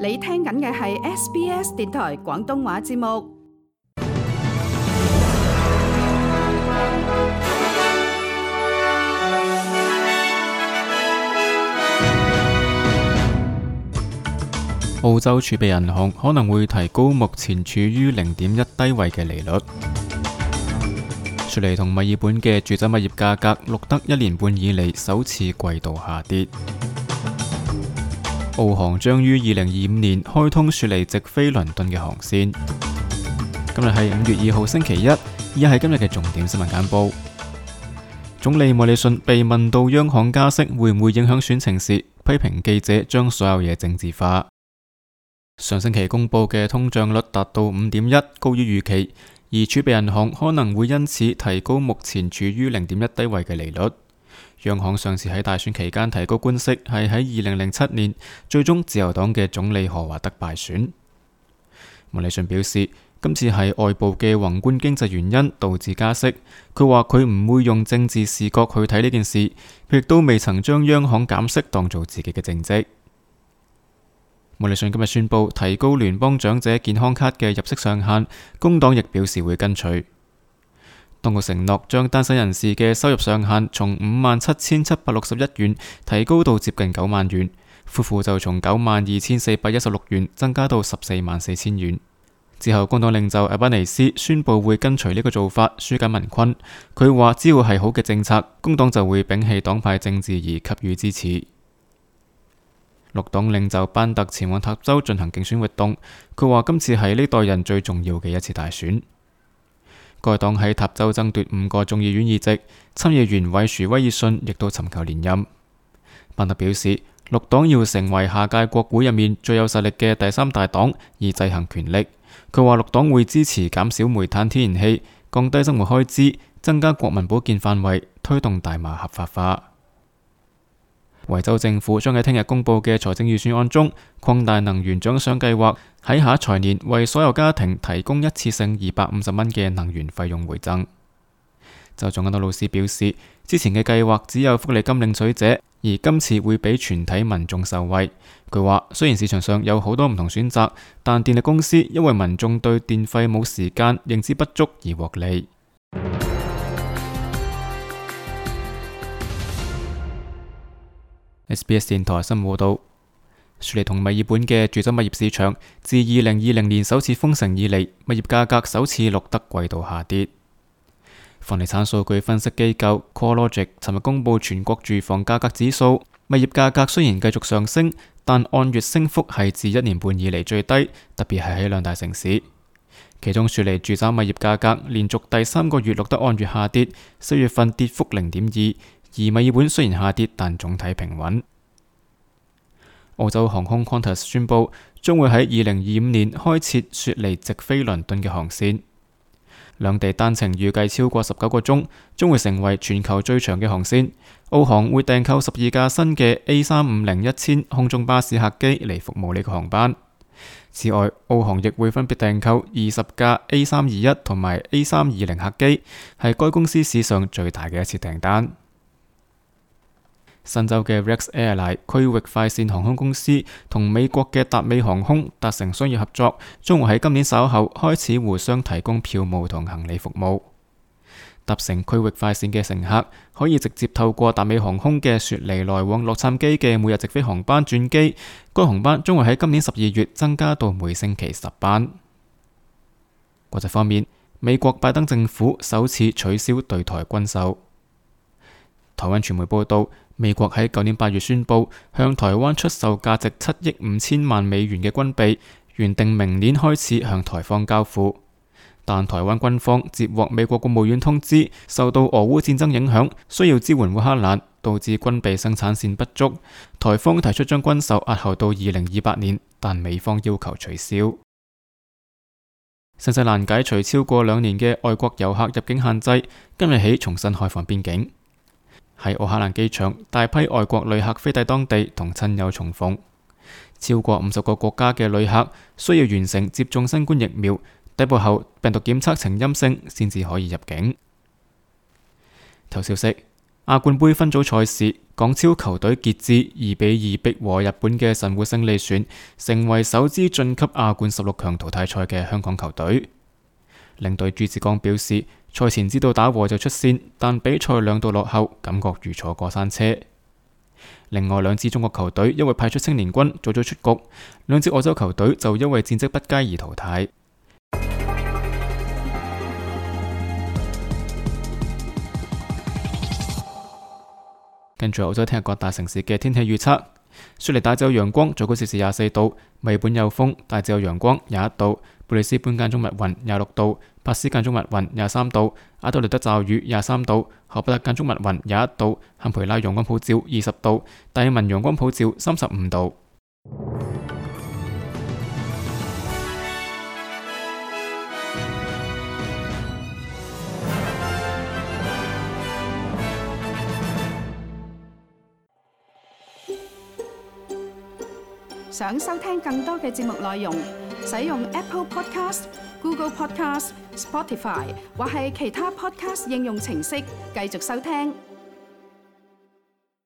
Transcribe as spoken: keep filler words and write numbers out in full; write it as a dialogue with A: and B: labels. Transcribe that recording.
A: 你聽緊嘅係 S B S 電台廣東話節目。
B: 澳洲儲備銀行可能會提高目前處於零點一低位嘅利率。雪梨同墨爾本嘅住宅物業價格錄得一年半以嚟首次季度下跌。澳航將於二零二五年開通雪梨直飛倫敦嘅航線。今日係五月二號星期一，以下係今日嘅重點新聞簡報。總理莫里遜被問到央行加息會唔會影響選情時，批評記者將所有嘢政治化。上星期公布嘅通脹率達到五點一，高於預期，而儲備銀行可能會因此提高目前處於零點一低位嘅利率。央行上次喺大選期間提高官息係喺二零零七年，最終自由黨嘅總理何華德敗選。莫里遜表示，今次係外部嘅宏觀經濟原因導致加息。佢話佢唔會用政治視角去睇呢件事，佢亦都未曾將央行減息當做自己嘅政績。莫里遜今日宣布提高聯邦長者健康卡嘅入息上限，工黨亦表示會跟隨。當局承諾將單身人士嘅收入上限從五萬七千七百六十一元提高到接近九萬元，夫婦就從九萬二千四百一十六元增加到十四萬四千元。之後，工黨領袖阿巴尼斯宣布會跟隨呢個做法，紓解民困。佢話只要係好嘅政策，工黨就會摒棄黨派政治而給予支持。綠黨領袖班特前往塔州進行競選活動，佢話今次係呢代人最重要嘅一次大選。該黨喺塔州爭奪五個眾議院議席，參議員韋殊威爾遜亦都尋求連任。班特表示，綠黨要成為下屆國會入面最有實力嘅第三大黨，以制衡權力。佢話綠黨會支持減少煤炭天然氣，降低生活開支，增加國民保健範圍，推動大麻合法化。維州政府將喺聽日公布嘅財政預算案中擴大能源獎賞計劃，喺下一財年為所有家庭提供一次性二百五十蚊嘅能源費用回贈。州長安德魯斯表示，之前嘅計劃只有福利金領取者，而今次會俾全體民眾受惠。佢話雖然市場上有好多唔同選擇，但電力公司因為民眾對電費冇時間認知不足而獲利。S B S 電台新聞報道，雪梨同墨爾本嘅住宅物業市場自二零二零年首次封城以嚟，物業價格首次錄得季度下跌。房地產數據分析機構 CoreLogic 尋日公布全國住房價格指數，物業價格雖然繼續上升，但按月升幅係自一年半以嚟最低，特別係喺兩大城市。其中雪梨住宅物業價格連續第三個月錄得按月下跌，四月份跌幅零點二。而墨爾本雖然下跌，但總體平穩。澳洲航空 Qantas 宣布將會喺二零二五年開設雪梨直飛倫敦嘅航線，兩地單程預計超過十九個鐘，將會成為全球最長嘅航線。澳航會訂購十二架新嘅 A 三五零一千空中巴士客機嚟服務呢個航班。此外，澳航亦會分別訂購二十架 A 三二一同埋 A 三二零客機，係該公司史上最大嘅一次訂單。新州嘅 Rex Airline 區域快線航空公司同美國嘅達美航空達成商業合作，將會喺今年稍後開始互相提供票務同行李服務。搭乘區域快線嘅乘客可以直接透過達美航空嘅雪梨來往洛杉磯嘅每日直飛航班轉機，該航班將會喺今年十二月增加到每星期十班。國際方面，美國拜登政府首次取消對台軍售。台灣傳媒報道，美國喺舊年八月宣布向台灣出售價值七億五千萬美元嘅軍備，原定明年開始向台方交付。但台灣軍方接獲美國國務院通知，受到俄烏戰爭影響，需要支援烏克蘭，導致軍備生產線不足。台方提出將軍售押後到二零二八年，但美方要求取消。新西蘭解除超過兩年嘅外國遊客入境限制，今日起重新開放邊境。喺奧克蘭機場，大批外國旅客飛抵當地同親友重逢。超過五十個國家嘅旅客需要完成接種新冠疫苗，抵埗後病毒檢測呈陰性，先至可以入境。頭消息：亞冠盃分組賽事，港超球隊傑志二比二逼和日本嘅神戶勝利船，成為首支晉級亞冠十六強淘汰賽嘅香港球隊。領隊朱志剛表示，賽前知道打和就出線，但比賽兩度落後，感覺如坐過山車。另外兩支中國球隊因為派出青年軍早早出局，兩支澳洲球隊就因為戰績不佳而淘汰。跟住澳洲聽日各大城市嘅天氣預測：雪梨大致有陽光，最高攝氏廿四度；墨爾本有風，大致有陽光，廿一度；布里斯本間中密雲，廿六度；珀斯間中密雲，廿三度；阿德萊德驟雨，廿三度；荷伯特間中密雲，廿一度；坎培拉陽光普照，二十度；達爾文陽光普照，三十五度。
A: 想收聽更多嘅節目內容，使用 Apple Podcast、Google Podcast、Spotify 或係其他 Podcast 應用程式繼續收聽。